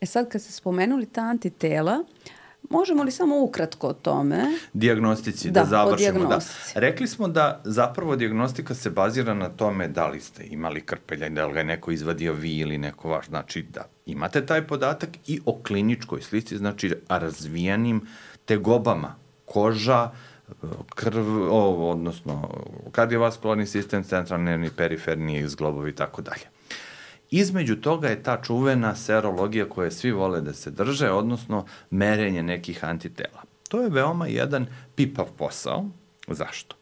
Speaker 1: E sad, kad ste spomenuli ta antitela, možemo li samo ukratko o tome?
Speaker 2: Dijagnostici, da, da završimo. Da. Rekli smo da zapravo dijagnostika se bazira na tome da li ste imali krpelja, da li ga je neko izvadio vi ili neko vaš. Znači da imate taj podatak i o kliničkoj slici, znači razvijenim tegobama, koža, krv, o, odnosno kardiovaskularni sistem, centralni nervni, periferni, zglobovi i tako dalje. Između toga je ta čuvena serologija koje svi vole da se drže, odnosno merenje nekih antitela. To je veoma jedan pipav posao. Zašto?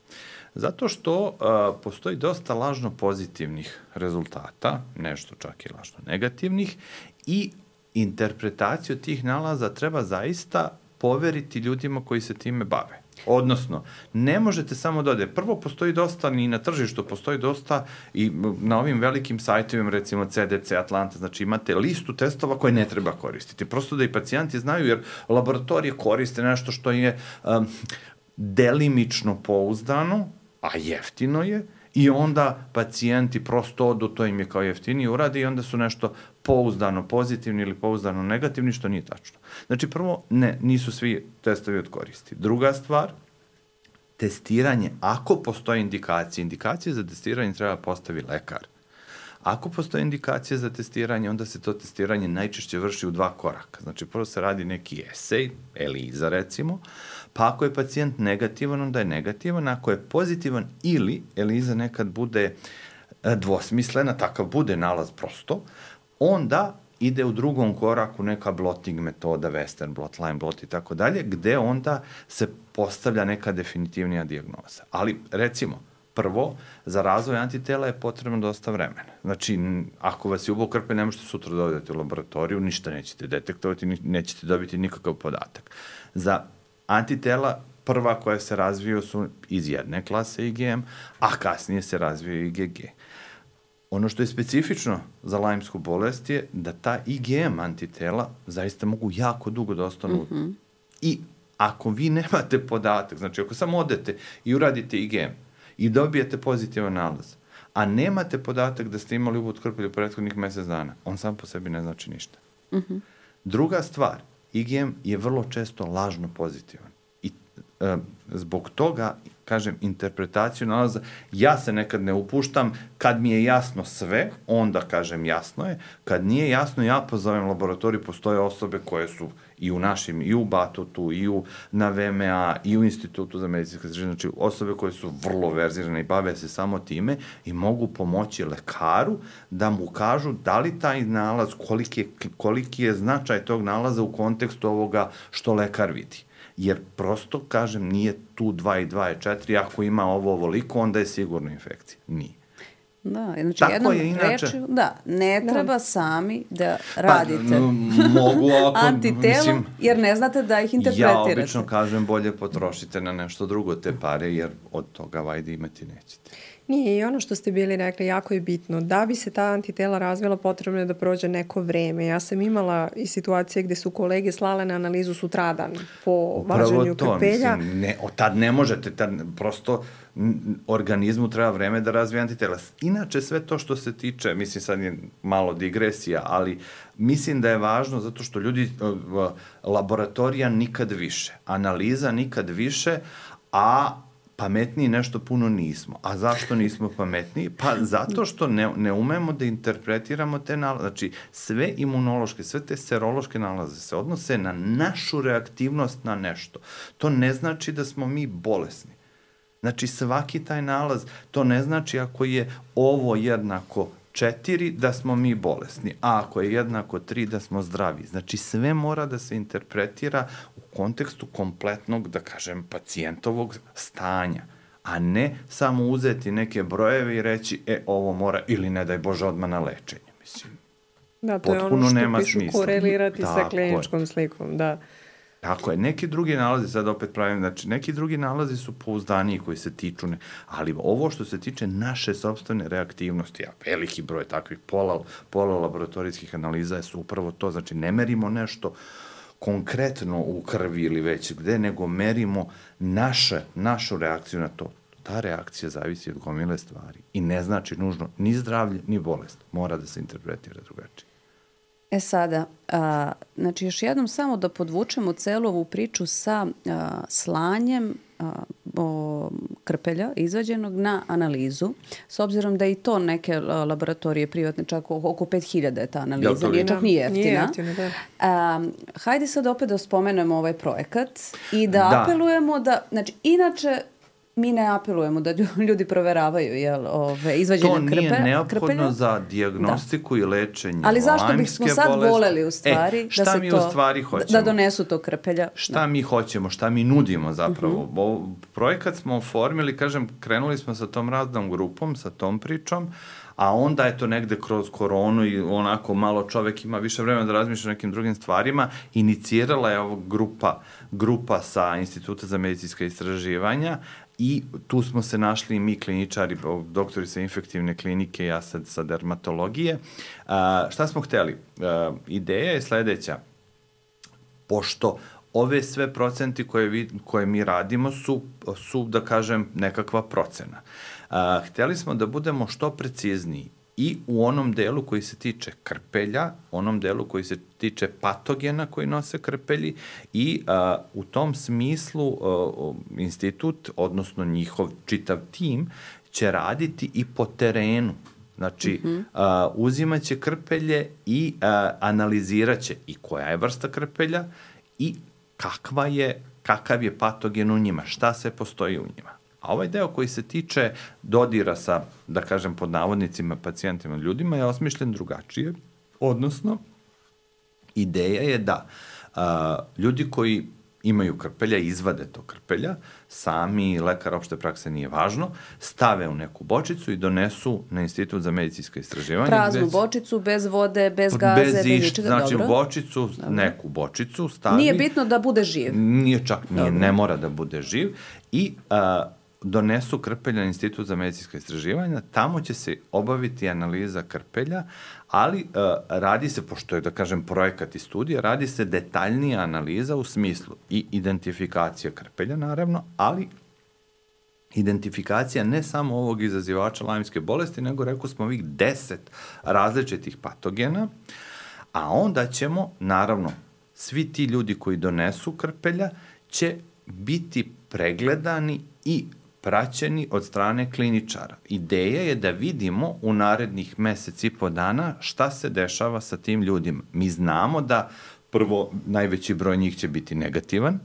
Speaker 2: Zato što a, postoji dosta lažno pozitivnih rezultata, nešto čak i lažno negativnih, i interpretaciju tih nalaza treba zaista poveriti ljudima koji se time bave. Odnosno, ne možete samo da ode. Prvo, postoji dosta, i na tržištu postoji dosta, i na ovim velikim sajtovima, recimo C D C, Atlanta, znači imate listu testova koje ne treba koristiti. Prosto da i pacijenti znaju, jer laboratorije koriste nešto što je um, delimično pouzdano, a jeftino je, i onda pacijenti prosto odu, to im je kao jeftinije uradi i onda su nešto pouzdano pozitivni ili pouzdano negativni, što nije tačno. Znači, prvo, ne, nisu svi testovi od koristi. Druga stvar, testiranje, ako postoje indikacije, indikacije za testiranje treba postavi lekar. Ako postoje indikacije za testiranje, onda se to testiranje najčešće vrši u dva koraka. Znači, prvo se radi neki esej, ELISA recimo, pa ako je pacijent negativan, onda je negativan, ako je pozitivan ili ELISA nekad bude dvosmislena, takav bude nalaz prosto, onda ide u drugom koraku neka blotting metoda, Western blot, line blot i tako dalje, gde onda se postavlja neka definitivnija dijagnoza. Ali, recimo, prvo, za razvoj antitela je potrebno dosta vremena. Znači, ako vas je ubao krpelj, ne možete sutra dovedete u laboratoriju, ništa nećete detektovati, nećete dobiti nikakav podatak. Za antitela, prva koja se razviju su iz jedne klase I G M, a kasnije se razviju I G G. Ono što je specifično za lajmsku bolest je da ta I G M antitela zaista mogu jako dugo da ostanu. Mm-hmm. I ako vi nemate podatak, znači ako samo odete i uradite I G M i dobijete pozitivan nalaz, a nemate podatak da ste imali ubod krpelja prethodnih mesec dana, on sam po sebi ne znači ništa. Mm-hmm. Druga stvar, I G M je vrlo često lažno pozitivan. I e, zbog toga, kažem, interpretaciju nalaza, ja se nekad ne upuštam, kad mi je jasno sve, onda kažem jasno je, kad nije jasno, ja pozovem laboratoriju, postoje osobe koje su i u našim, i u Batutu, i u, na V M A, i u Institutu za medicinske istraživanja, znači osobe koje su vrlo verzirane i bave se samo time i mogu pomoći lekaru da mu kažu da li taj nalaz, koliki je, koliki je značaj tog nalaza u kontekstu ovoga što lekar vidi. Jer prosto, kažem, nije tu dva i dva je četiri, ako ima ovo ovoliko, onda je sigurno infekcija. Nije.
Speaker 1: Da, znači
Speaker 2: tako
Speaker 1: jednom
Speaker 2: je, inače,
Speaker 1: reči, da, ne treba da. sami da radite
Speaker 2: pa, mogu ako,
Speaker 1: antitelo, mislim, jer ne znate da ih interpretirate.
Speaker 2: Ja obično kažem bolje potrošite na nešto drugo te pare, jer od toga vajde imati nećete.
Speaker 3: Nije, i ono što ste bili rekli jako je bitno. Da bi se ta antitela razvila, potrebno je da prođe neko vreme. Ja sam imala i situacije gde su kolege slale na analizu sutradan po važenju krpelja.
Speaker 2: Mislim, ne, tad ne možete, tad prosto organizmu treba vreme da razvije antitela. Inače, sve to što se tiče, mislim sad je malo digresija, ali mislim da je važno zato što ljudi, laboratorija nikad više, analiza nikad više, a pametniji nešto puno nismo. A zašto nismo pametniji? Pa zato što ne, ne umemo da interpretiramo te nalaze. Znači, sve imunološke, sve te serološke nalaze se odnose na našu reaktivnost na nešto. To ne znači da smo mi bolesni. Znači, svaki taj nalaz, to ne znači ako je ovo jednako četiri, da smo mi bolesni, a ako je jednako tri, da smo zdravi. Znači, sve mora da se interpretira u kontekstu kompletnog, da kažem, pacijentovog stanja, a ne samo uzeti neke brojeve i reći, e, ovo mora, ili ne daj Bože, odmah na lečenje, mislim.
Speaker 3: Da, to je ono što pišu korelirati sa kliničkom slikom, da.
Speaker 2: Tako je. Neki drugi nalazi, sad opet pravim, znači neki drugi nalazi su pouzdaniji koji se tiču, ne, ali ovo što se tiče naše sopstvene reaktivnosti, a veliki broj takvih pola, pola laboratorijskih analiza su upravo to, znači ne merimo nešto konkretno u krvi ili već gde, nego merimo naše, našu reakciju na to. Ta reakcija zavisi od gomile stvari i ne znači nužno ni zdravlje, ni bolest. Mora da se interpretira drugačije.
Speaker 1: E sada, a, znači još jednom samo da podvučemo celu ovu priču sa a, slanjem a, o, krpelja izvađenog na analizu, s obzirom da i to neke laboratorije privatne, čak oko pet hiljada je ta analiza, ja, nije čak ni jeftina. Nije jeftina, da. A, hajde sad opet da spomenemo ovaj projekat i da, da. apelujemo da, znači inače, mi ne apelujemo da ljudi proveravaju jel, ove, izvađenje krpelja. To nije krpe, neophodno krpelja. Za dijagnostiku da. I lečenje. Ali zašto bismo sad bolesti? Voleli u stvari, e, da, se to, u stvari da donesu to krpelja?
Speaker 2: Šta da. Mi hoćemo, šta mi nudimo zapravo? Uh-huh. Bo, projekat smo oformili, kažem, krenuli smo sa tom radnom grupom, sa tom pričom, a onda je to negde kroz koronu i onako malo čovek ima više vremena da razmišlja o nekim drugim stvarima, inicirala je ovo grupa, grupa sa Instituta za medicinska istraživanja i tu smo se našli i mi kliničari, doktori sa infektivne klinike, ja sad sa dermatologije. A, šta smo hteli? A, ideja je sledeća. Pošto ove sve procenti koje, vi, koje mi radimo su, su, da kažem, nekakva procena. A, hteli smo da budemo što precizniji i u onom delu koji se tiče krpelja, onom delu koji se tiče patogena koji nose krpelji i a, u tom smislu a, institut, odnosno njihov čitav tim, će raditi i po terenu. Znači, mm-hmm. a, uzimaće krpelje i a, analiziraće i koja je vrsta krpelja i kakva je, kakav je patogen u njima, šta se postoji u njima. A ovaj deo koji se tiče dodira sa, da kažem, pod navodnicima, pacijentima, ljudima, je osmišljen drugačije. Odnosno, ideja je da a, ljudi koji imaju krpelja, izvade to krpelja, sami lekar opšte prakse nije važno, stave u neku bočicu i donesu na Institut za medicinska istraživanja.
Speaker 1: Praznu bez, bočicu, bez vode, bez gaze, bez, bez ničega,
Speaker 2: znači,
Speaker 1: dobro.
Speaker 2: bočicu, dobro. Neku bočicu stavi.
Speaker 1: Nije bitno da bude živ.
Speaker 2: Nije čak, nije, ne mora da bude živ. I a, donesu krpelja na Institut za medicinska istraživanja, tamo će se obaviti analiza krpelja, ali uh, radi se, pošto je, da kažem, projekat i studija, radi se detaljnija analiza u smislu i identifikacija krpelja, naravno, ali identifikacija ne samo ovog izazivača lajmske bolesti, nego, rekao smo, ovih deset različitih patogena, a onda ćemo, naravno, svi ti ljudi koji donesu krpelja će biti pregledani i praćeni od strane kliničara. Ideja je da vidimo u narednih mesec i po dana šta se dešava sa tim ljudima. Mi znamo da prvo najveći broj njih će biti negativan,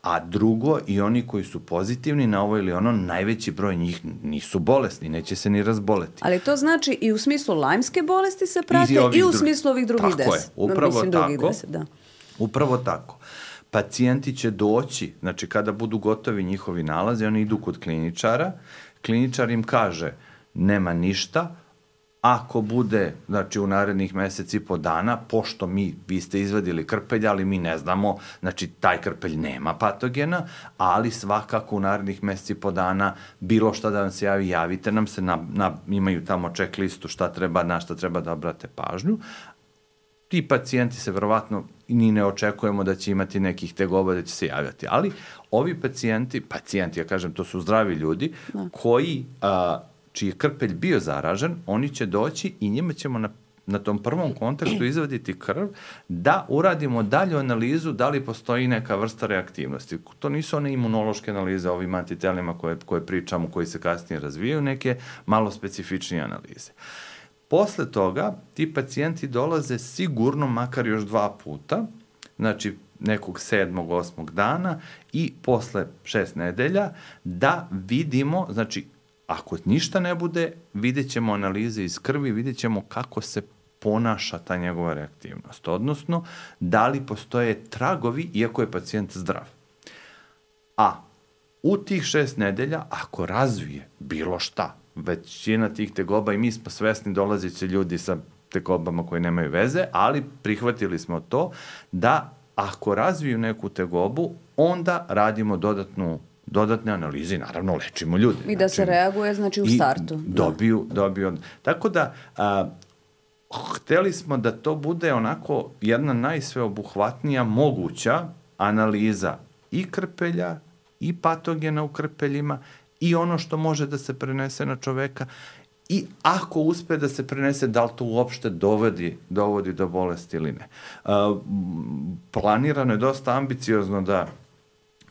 Speaker 2: a drugo i oni koji su pozitivni na ovo ili ono, najveći broj njih nisu bolesni, neće se ni razboleti.
Speaker 1: Ali to znači i u smislu lajmske bolesti se prate i, i u smislu ovih drugih deset.
Speaker 2: Tako je, upravo
Speaker 1: Mislim,
Speaker 2: tako.
Speaker 1: deset, da.
Speaker 2: Upravo tako. Pacijenti će doći, znači kada budu gotovi njihovi nalazi, oni idu kod kliničara, kliničar im kaže nema ništa, ako bude, znači u narednih meseci i po dana, pošto mi, vi ste izvadili krpelj, ali mi ne znamo, znači taj krpelj nema patogena, ali svakako u narednih meseci i po dana bilo šta da vam se javi, javite nam se, na, na, imaju tamo check listu šta treba, na šta treba da obrate pažnju. Ti pacijenti se verovatno ni ne očekujemo da će imati nekih tegoba da će se javljati, ali ovi pacijenti, pacijenti, ja kažem, to su zdravi ljudi, da. koji, a, čiji je krpelj bio zaražen, oni će doći i njima ćemo na, na tom prvom kontaktu izvaditi krv da uradimo dalju analizu da li postoji neka vrsta reaktivnosti. To nisu one imunološke analize ovim antitelima koje, koje pričamo, koji se kasnije razvijaju, neke malo specifičnije analize. Posle toga, ti pacijenti dolaze sigurno makar još dva puta, znači nekog sedmog, osmog dana i posle šest nedelja, da vidimo, znači, ako ništa ne bude, vidjet ćemo analize iz krvi, vidjet ćemo kako se ponaša ta njegova reaktivnost, odnosno da li postoje tragovi, iako je pacijent zdrav. A u tih šest nedelja, ako razvije bilo šta, većina tih tegoba i mi smo svesni, dolazit će ljudi sa tegobama koje nemaju veze, ali prihvatili smo to da ako razviju neku tegobu, onda radimo dodatnu dodatne analize i naravno lečimo ljude.
Speaker 1: I da znači, se reaguje znači u startu.
Speaker 2: I dobiju, da. dobiju. Tako da, a, hteli smo da to bude onako jedna najsveobuhvatnija moguća analiza i krpelja, i patogena u krpeljima, i ono što može da se prenese na čoveka, i ako uspe da se prenese, da li to uopšte dovodi, dovodi do bolesti ili ne. A, planirano je dosta ambiciozno da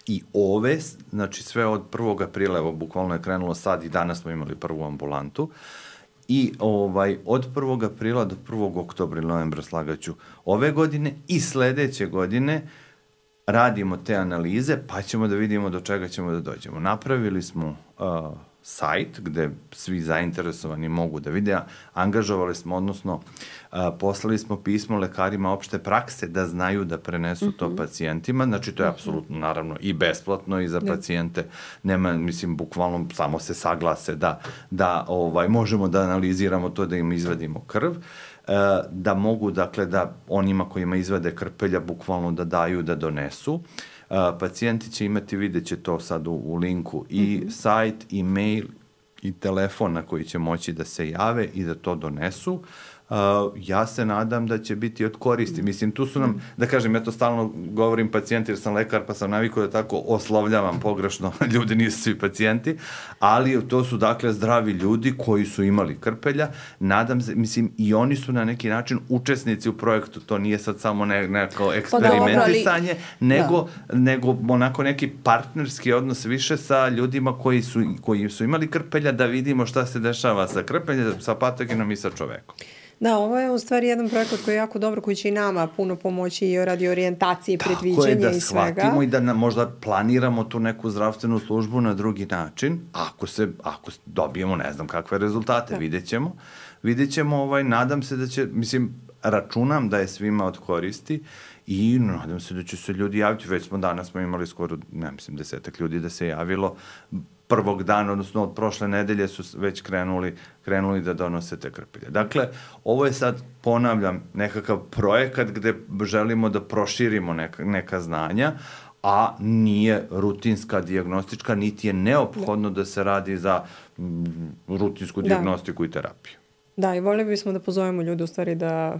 Speaker 2: i ove, znači sve od prvog aprila, evo, bukvalno je krenulo sad i danas smo imali prvu ambulantu, i ovaj, od prvog aprila do prvog oktobra ili novembra, slagaću, ove godine i sledeće godine radimo te analize, pa ćemo da vidimo do čega ćemo da dođemo. Napravili smo uh, sajt gde svi zainteresovani mogu da vide, angažovali smo, odnosno uh, poslali smo pismo lekarima opšte prakse da znaju da prenesu mm-hmm. to pacijentima, znači to je mm-hmm. apsolutno naravno i besplatno i za da. pacijente, nema, mislim, bukvalno samo se saglase da, da ovaj, možemo da analiziramo to, da im izvadimo krv, uh, da mogu, dakle, da onima kojima izvade krpelja bukvalno da daju, da donesu. Uh, pacijenti će imati, vidjet će to sad u, u linku, i mm-hmm. sajt, i mail, i telefon na koji će moći da se jave i da to donesu. Uh, ja se nadam da će biti od koristi. Mislim, tu su nam, da kažem, ja to stalno govorim pacijenti jer sam lekar, pa sam navikao da tako oslovljavam pogrešno, ljudi nisu svi pacijenti, ali to su, dakle, zdravi ljudi koji su imali krpelja. Nadam se, mislim, i oni su na neki način učesnici u projektu, to nije sad samo ne, neko eksperimentisanje, pa ali, nego, da. nego onako neki partnerski odnos više sa ljudima koji su, koji su imali krpelja, da vidimo šta se dešava sa krpeljem, sa patogenom i sa čovekom.
Speaker 3: Da, ovo je u stvari jedan projekat koji je jako dobro, koji će i nama puno pomoći i radi orijentacije, predviđenja i svega.
Speaker 2: Tako je, da shvatimo i da na, možda planiramo tu neku zdravstvenu službu na drugi način, ako se, ako dobijemo ne znam kakve rezultate, da. vidjet ćemo. Vidjet ćemo, ovaj, nadam se da će, mislim, računam da je svima od koristi i nadam se da će se ljudi javiti. Već smo danas smo imali skoro, ne mislim, desetak ljudi da se javilo. Prvog dana, odnosno od prošle nedelje su već krenuli, krenuli da donose te krpelje. Dakle, ovo je sad, ponavljam, nekakav projekat gde želimo da proširimo neka, neka znanja, a nije rutinska dijagnostička, niti je neophodno da se radi za m, rutinsku dijagnostiku da. i terapiju.
Speaker 3: Da, i volili bismo da pozovemo ljude u stvari da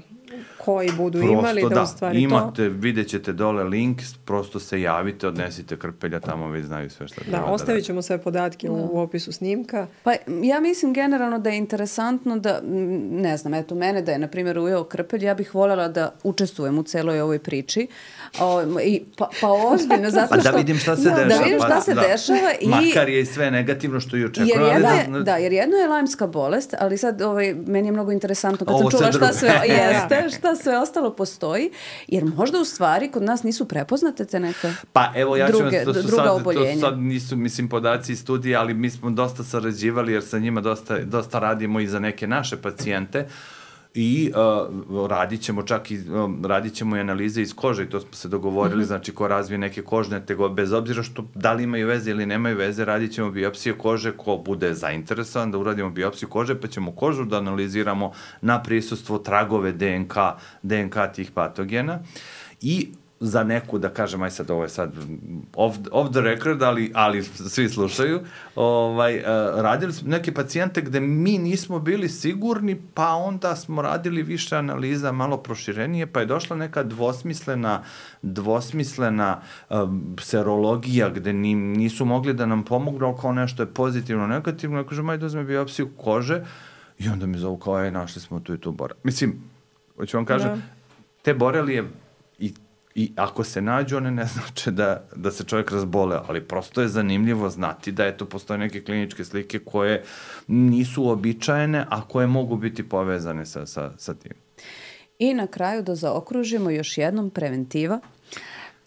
Speaker 3: koji budu prosto imali, da, da u stvari
Speaker 2: imate,
Speaker 3: to...
Speaker 2: vidjet ćete dole link, prosto se javite, odnesite krpelja, tamo već znaju sve što treba da radi.
Speaker 3: Da, ostavit ćemo sve podatke da. u opisu snimka.
Speaker 1: Pa ja mislim generalno da je interesantno da, ne znam, eto mene da je, na primjer, ujeo krpelj, ja bih voljela da učestvujem u celoj ovoj priči. O, i, pa, pa ozbiljno, zato što...
Speaker 2: Pa da vidim šta se
Speaker 1: da,
Speaker 2: dešava.
Speaker 1: Da vidim šta pa, se da. dešava. I,
Speaker 2: makar je i sve negativno što i očekujem.
Speaker 1: Jer
Speaker 2: ali
Speaker 1: je,
Speaker 2: da,
Speaker 1: da, jer jedno je lajmska bolest, ali sad ovaj, meni je mnogo interesantno kad sam čula šta sve jeste, šta sve ostalo postoji, jer možda u stvari kod nas nisu prepoznate te neke
Speaker 2: pa, evo, ja
Speaker 1: druge,
Speaker 2: ću, to su
Speaker 1: druga
Speaker 2: sad,
Speaker 1: oboljenja.
Speaker 2: To sad nisu, mislim, podaci i studije, ali mi smo dosta sarađivali jer sa njima dosta, dosta radimo i za neke naše pacijente i uh, radit ćemo čak i, um, radit ćemo i analize iz kože i to smo se dogovorili, mm-hmm. znači ko razvije neke kožne tegobe, bez obzira što da li imaju veze ili nemaju veze, radit ćemo biopsije kože, ko bude zainteresovan da uradimo biopsiju kože, pa ćemo kožu da analiziramo na prisustvo tragove D N K, D N K tih patogena i za neku, da kažem, aj sad ovo je sad off, off the record, ali, ali svi slušaju, ovaj, uh, radili smo neke pacijente gde mi nismo bili sigurni, pa onda smo radili više analiza, malo proširenije, pa je došla neka dvosmislena, dvosmislena um, serologija gde ni, nisu mogli da nam pomognu, kao nešto je pozitivno, negativno, ja kažem, ajde uzme biopsiju kože i onda mi zovu kao, aj, našli smo tu i tu borelije. Mislim, hoću vam kažem, no. te borelije i I ako se nađu, one ne znače da, da se čovjek razboleo, ali prosto je zanimljivo znati da eto postoje neke kliničke slike koje nisu uobičajene, a koje mogu biti povezane sa, sa, sa tim.
Speaker 1: I na kraju da zaokružimo još jednom preventiva,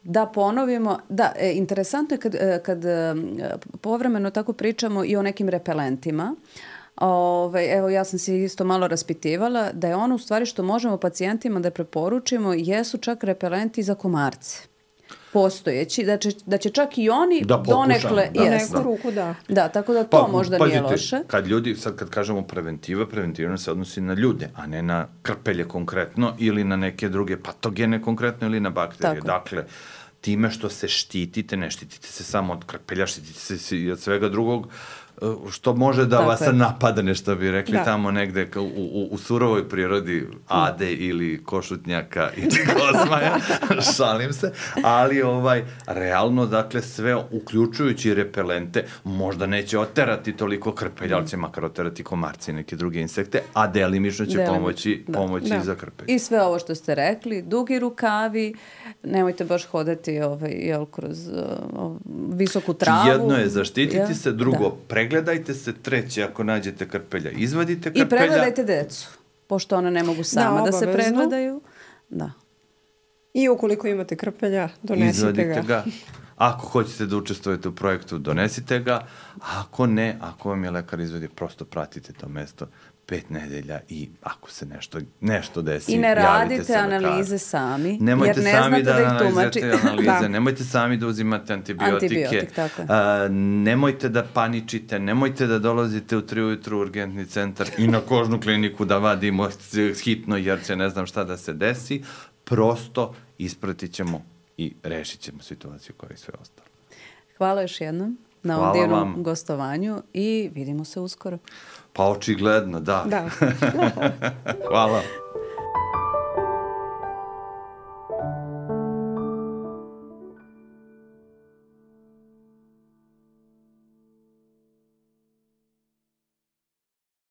Speaker 1: da ponovimo, da, e, interesantno je kad, kad e, povremeno tako pričamo i o nekim repelentima. Ove, evo ja sam se isto malo raspitivala da je ono u stvari što možemo pacijentima da preporučimo jesu čak repelenti za komarce. postojeći, da će, da će čak i oni
Speaker 2: da
Speaker 1: donekle...
Speaker 3: Da, neku ruku, da.
Speaker 1: Da, tako da to
Speaker 2: pa,
Speaker 1: možda
Speaker 2: pazite,
Speaker 1: nije loše.
Speaker 2: Kad ljudi, sad kad kažemo preventiva, preventivno se odnosi na ljude, a ne na krpelje konkretno ili na neke druge patogene konkretno ili na bakterije.
Speaker 1: Tako.
Speaker 2: Dakle, time što se štitite, ne štitite se samo od krpelja, štitite se i od svega drugog, što može da
Speaker 1: Tako
Speaker 2: vas
Speaker 1: je.
Speaker 2: napadane, što bi rekli
Speaker 3: da.
Speaker 2: tamo negde u, u, u surovoj prirodi ade ili košutnjaka ili kozmaja, šalim se, ali ovaj, realno, dakle, sve uključujući repelente, možda neće oterati toliko krpelja, ali će makar oterati komarci i neke druge insekte, a delimično će
Speaker 1: Delimično,
Speaker 2: pomoći,
Speaker 1: da.
Speaker 2: pomoći
Speaker 3: Da.
Speaker 2: za krpelje.
Speaker 1: I sve ovo što ste rekli, dugi rukavi, nemojte baš hodati ovaj, jel, kroz uh, visoku travu.
Speaker 2: Jedno je zaštititi
Speaker 1: ja?
Speaker 2: se, drugo,
Speaker 1: da.
Speaker 2: pregledajte se, treće, ako nađete krpelja, izvadite krpelja.
Speaker 1: I pregledajte decu, pošto ona ne mogu sama da, da se pregledaju. Da.
Speaker 3: I ukoliko imate krpelja, donesite
Speaker 2: Izvadite
Speaker 3: ga.
Speaker 2: ga. Ako hoćete da učestvujete u projektu, donesite ga. Ako ne, ako vam je lekar izvedi, prosto pratite to mesto pet nedelja i ako se nešto, nešto desi,
Speaker 1: I ne
Speaker 2: javite
Speaker 1: radite
Speaker 2: se
Speaker 1: analize sami,
Speaker 2: Nemojte
Speaker 1: jer ne
Speaker 2: sami
Speaker 1: znate
Speaker 2: da,
Speaker 1: da ih
Speaker 2: analizirate
Speaker 1: tumačite.
Speaker 2: analize,
Speaker 3: Da.
Speaker 2: nemojte sami da uzimate antibiotike.
Speaker 1: Antibiotik, tako je.
Speaker 2: A, nemojte da paničite, nemojte da dolazite u tri ujutru u urgentni centar i na kožnu kliniku da vadimo hitno jer će ne znam šta da se desi. Prosto ispratit ćemo i rešit ćemo situaciju kao i sve ostalo.
Speaker 1: Hvala još jednom na
Speaker 2: Hvala
Speaker 1: ovom divnom
Speaker 2: vam.
Speaker 1: gostovanju i vidimo se uskoro.
Speaker 2: Pa očigledno, da.
Speaker 3: Da.
Speaker 2: Hvala.